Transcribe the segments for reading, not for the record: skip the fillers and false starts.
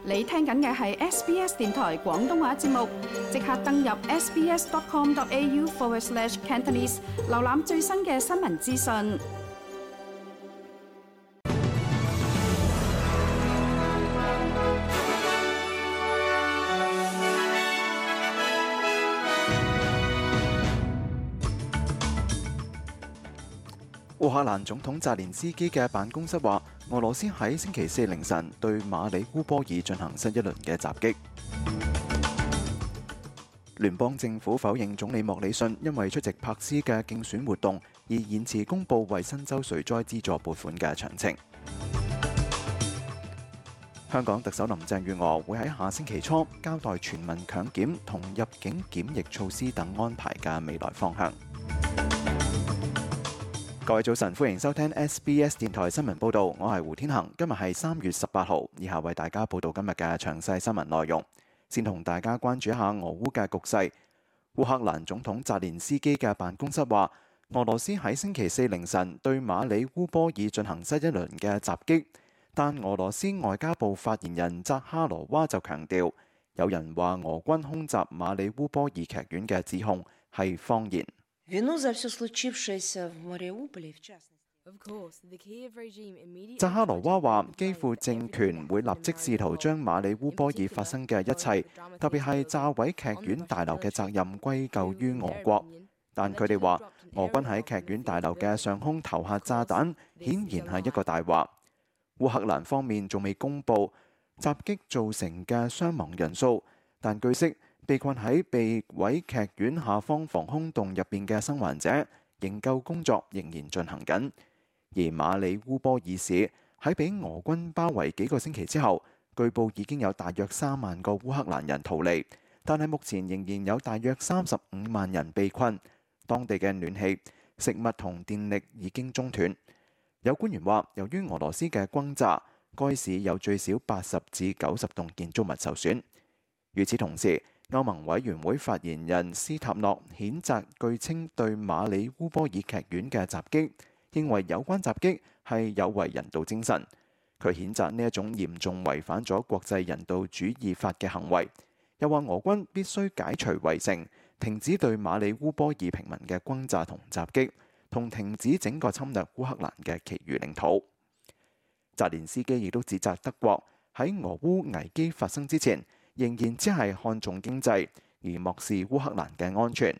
你聽緊嘅係 SBS 電台廣東話節目，即刻登入 sbs.com.au/Cantonese 瀏覽最新嘅新聞資訊。烏克蘭總統澤連斯基嘅辦公室話，俄羅斯喺星期四凌晨對馬里烏波爾進行新一輪嘅襲擊。聯邦政府否認總理莫里遜因為出席柏斯嘅競選活動而延遲公佈為新州水災資助撥款嘅詳情。香港特首林鄭月娥會喺下星期初交代全民強檢同入境檢疫措施等安排嘅未來方向。各位早晨，歡迎收聽 SBS 電台新聞報導，我係胡天恒。今日係3月18號，以下為大家報導今日嘅詳細新聞內容。先同大家關注一下俄烏嘅局勢。烏克蘭總統澤連斯基嘅辦公室話，俄羅斯喺星期四凌晨對馬里烏波爾進行新一輪嘅襲擊，但俄羅斯外交部發言人扎哈羅娃就強調，有人話俄軍空襲馬里烏波爾劇院嘅指控係謊言。扎哈羅娃話，基輔政權會立即試圖將馬里烏波爾發生嘅一切，特別係炸毀劇院大樓嘅責任歸咎於俄國。但佢哋話，俄軍喺劇院大樓嘅上空投下炸彈，顯然係一個大話。烏克蘭方面仲未公佈襲擊造成嘅傷亡人數，但據悉，被困喺被毀劇院下方防空洞入邊嘅生還者營救工作仍然進行緊，而馬里烏波爾市喺被俄軍包圍幾個星期之後，據報已經有大約3萬個烏克蘭人逃離，但係目前仍然有大約35萬人被困，當地嘅暖氣、食物同電力已經中斷。有官員話，由於俄羅斯嘅轟炸，該市有最少80至90棟建築物受損。與此同時，歐盟委員會發言人斯塔諾譴責據稱對馬里烏波爾劇院嘅襲擊，認為有關襲擊係有違人道精神。佢譴責呢一種嚴重違反咗國際人道主義法嘅行為，又話俄軍必須解除圍城，停止對馬里烏波爾平民嘅轟炸同襲擊，同停止整個侵略烏克蘭嘅其餘領土。澤連斯基亦都指責德國喺俄烏危機發生之前，仍然只係看重經濟，而漠視烏克蘭嘅安全。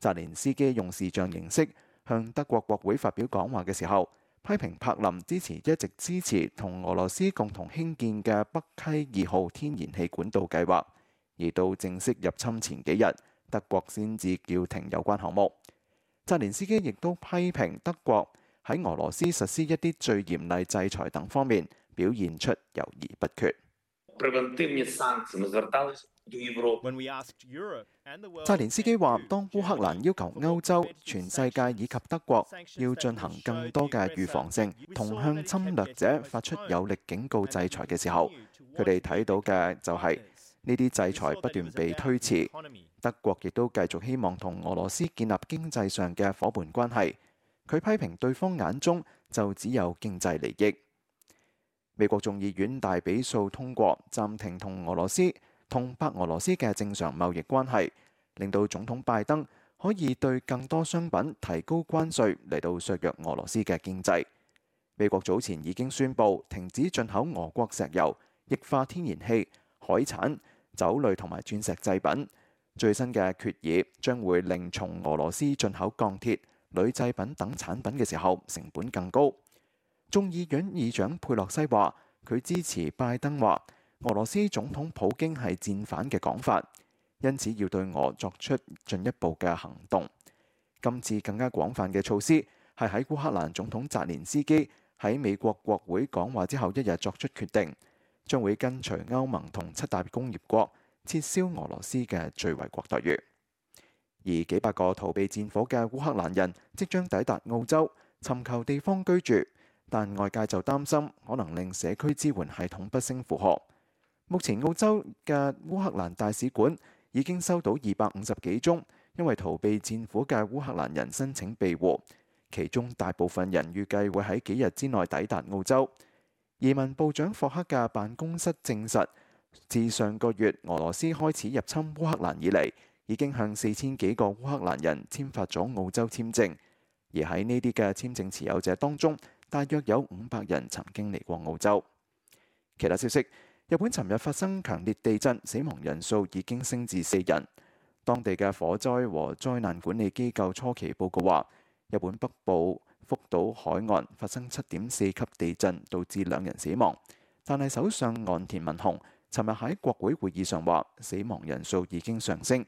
澤連斯基用視像形式向德國國會發表講話嘅時候，批評柏林一直支持同俄羅斯共同興建嘅北溪2號天然氣管道計劃，而到正式入侵前幾日，德國先至叫停有關項目。澤連斯基亦都批評德國喺俄羅斯實施一啲最嚴厲制裁等方面表現出猶豫不決。澤連斯基話，當烏克蘭要求歐洲、全世界以及德國要進行更多嘅預防性同向侵略者發出有力警告制裁嘅時候，佢哋睇到嘅就係呢啲制裁不斷被推遲。德國亦都繼續希望同俄羅斯建立經濟上嘅夥伴關係。佢批評對方眼中就只有經濟利益。美國眾議院大比數通過暫停同俄羅斯同白俄羅斯嘅正常貿易關係，令到總統拜登可以對更多商品提高關稅嚟到削弱俄羅斯嘅經濟。美國早前已經宣布停止進口俄國石油、液化天然氣、海產、酒類同埋鑽石製品。最新嘅決議將會令從俄羅斯進口鋼鐵、鋁製品等產品嘅時候成本更高。眾議院議長佩洛西話，佢支持拜登話俄羅斯總統普京係戰犯嘅講法，因此要對俄作出進一步嘅行動。今次更加廣泛嘅措施係喺烏克蘭總統澤連斯基喺美國國會講話之後一日作出決定，將會跟隨歐盟同7大工業國撤銷俄羅斯嘅最惠國待遇。而幾百個逃避戰火嘅烏克蘭人即將抵達澳洲，尋求地方居住。但外界就擔心可能令社區支援系統不勝負荷。目前澳洲嘅烏克蘭大使館已經收到250幾宗因為逃避戰火嘅烏克蘭人申請庇護，其中大部分人預計會喺幾日之內抵達澳洲。移民部長霍克嘅辦公室證實，自上個月俄羅斯開始入侵烏克蘭以嚟，已經向4000幾個烏克蘭人簽發咗澳洲簽證，而喺呢啲嘅簽證持有者當中，大約有500人曾經嚟過澳洲。其他消息，日本尋日發生強烈地震，死亡人數已經升至4人。當地嘅火災和災難管理機構初期報告話，日本北部福島海岸發生7.4級地震，導致2人死亡。但係首相岸田文雄尋日喺國會會議上話，死亡人數已經上升。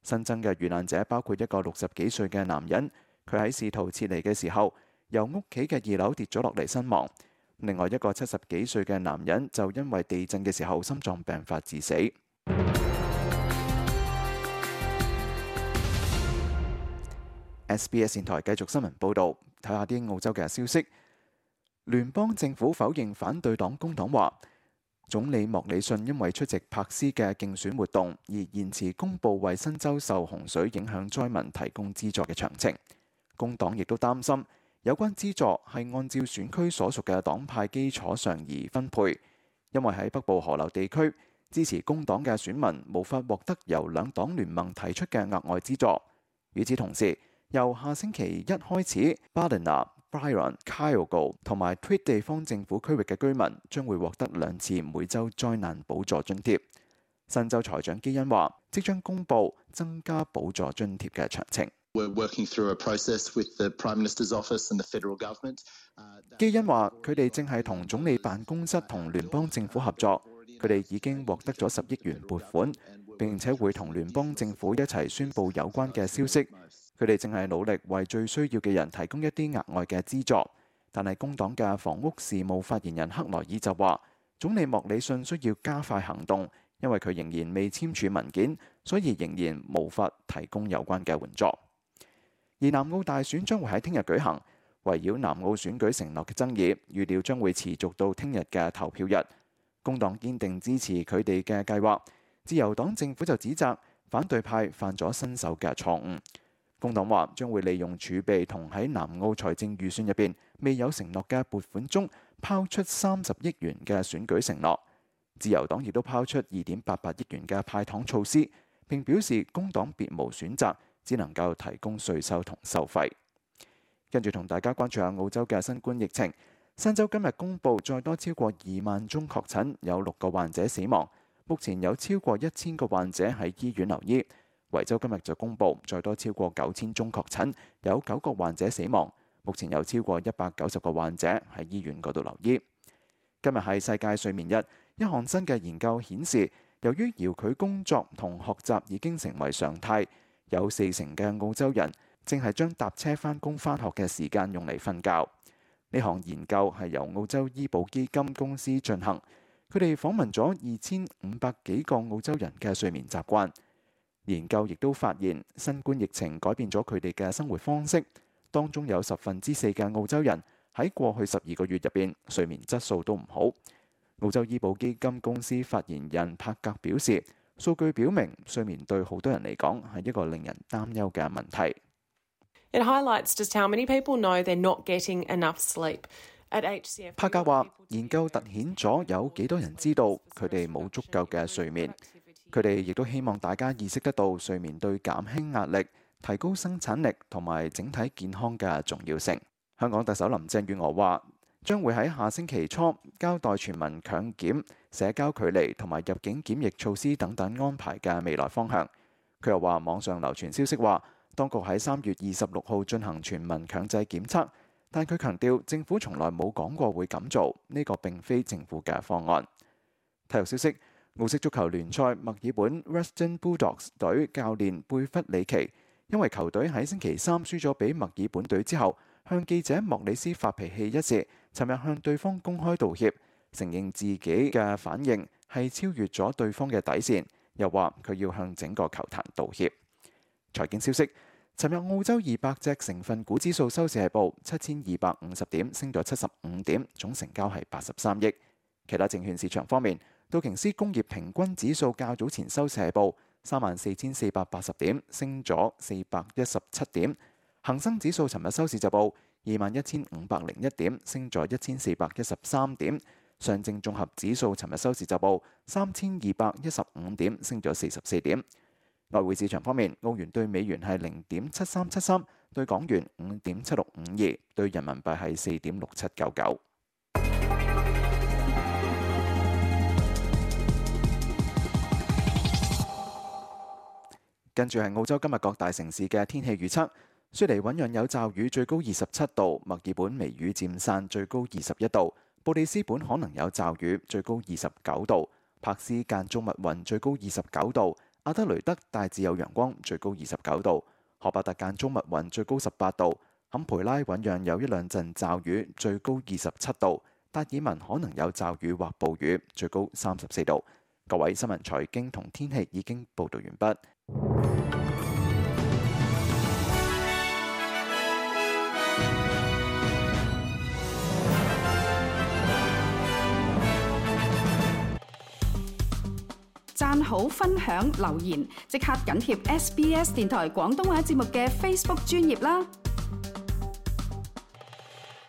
新增嘅遇難者包括一個60幾歲嘅男人，佢喺試圖撤離嘅時候，由屋企嘅2樓跌咗落嚟身亡。另外一個70幾歲嘅男人就因為地震嘅時候心臟病發致死。SBS 電台繼續新聞報導，睇下啲澳洲嘅消息。聯邦政府否認反對黨工黨話，總理莫里遜因為出席柏斯嘅競選活動而延遲公佈為新州受洪水影響災民提供資助嘅詳情。工黨亦都擔心有關資助係按照選區所屬嘅黨派基礎上而分配，因為喺北部河流地區支持工黨嘅選民無法獲得由兩黨聯盟提出嘅額外資助。與此同時，由下星期1開始 ，Ballina、Byron、Kyogo 同埋 Tweed 地方政府區域嘅居民將會獲得2次每週災難補助津貼。新州財長基恩話，即將公佈增加補助津貼嘅詳情。基恩話，佢哋正係同總理辦公室同聯邦政府合作，佢哋已經獲得咗10億元撥款，並且會同聯邦政府一齊宣佈有關嘅消息。佢哋正係努力為最需要嘅人提供一啲額外嘅資助，但係工黨嘅房屋事務發言人克萊爾就話，總理莫里遜需要加快行動，因為佢仍然未簽署文件，所以仍然無法提供有關嘅援助。而南澳大選將會喺聽日舉行，圍繞南澳選舉承諾嘅爭議，預料將會持續到聽日嘅投票日。工黨堅定支持佢哋嘅計劃，自由黨政府就指責反對派犯咗新手嘅錯誤。工黨話將會利用儲備同喺南澳財政預算入邊未有承諾嘅撥款中拋出30億元嘅選舉承諾。自由黨亦都拋出2.88億元嘅派糖措施，並表示工黨別無選擇，只能夠提供稅收同收費。跟住同大家關注下澳洲嘅新冠疫情。新州今日公布再多超過2萬宗確診，有6個患者死亡。目前有超過1000個患者喺醫院留醫。維州今日就公布再多超過9000宗確診，有9個患者死亡。目前有超過190個患者喺醫院嗰度留醫。今日係世界睡眠日，一項新嘅研究顯示，由於遙距工作同學習已經成為常態，有40%嘅澳洲人正係將搭車返工返學嘅時間用嚟瞓覺。呢項研究係由澳洲醫保基金公司進行，佢哋訪問咗2500幾個澳洲人嘅睡眠習慣。研究亦都發現，新冠疫情改變咗佢哋嘅生活方式，當中有4%嘅澳洲人喺過去12個月入邊睡眠質素都唔好。澳洲醫保基金公司發言人帕格表示，數據表明睡眠對好多人嚟講係一個令人擔憂嘅問題。It highlights just how many people know they're not getting enough sleep. At HCF， 帕格話，研究突顯咗有幾多人知道佢哋冇足夠嘅睡眠。佢哋亦都希望大家意識得到睡眠對減輕壓力、提高生產力同埋整體健康嘅重要性。香港特首林鄭月娥話，將會喺下星期初交代全民強檢、社交距離同埋入境檢疫措施等等安排嘅未來方向。佢又話，網上流傳消息話，當局喺3月26號進行全民強制檢測，但佢強調政府從來冇講過會咁做，呢個並非政府嘅方案。體育消息。澳式足球聯賽墨爾本 Western Bulldogs 隊教練貝弗里奇因為球隊喺星期3輸咗俾墨爾本隊之後，向記者莫里斯發脾氣一事，尋日向對方公開道歉，承認自己嘅反應係超越咗對方嘅底線，又話佢要向整個球壇道歉。財經消息，尋日澳洲200隻成分股指數收市係報7250點，升咗75點，總成交係83億。其他證券市場方面，道瓊斯工業平均指數較早前收市係報34480點，升咗417點。恒生指數尋日收市就報21501點，升咗1413點。上證綜合指數尋日收市就報3215點，升咗44點。外匯市場方面，澳元對美元係0.7373，對港元5.7652，對人民幣係4.6799。跟住係澳洲今日各大城市嘅天氣預測。雪梨醞釀有驟雨，最高27度；墨爾本微雨漸散，最高21度；布里斯本可能有驟雨，最高29度；柏斯間中密雲，最高29度；阿德雷德大致有陽光，最高29度；荷伯特間中密雲，最高18度；坎培拉醞釀有一兩陣驟雨，最高27度；達爾文可能有驟雨或暴雨，最高34度。各位新聞財經同天氣已經報導完畢。讚好、分享、留言，即刻緊貼SBS 電台廣東話節目嘅 Facebook 專頁啦！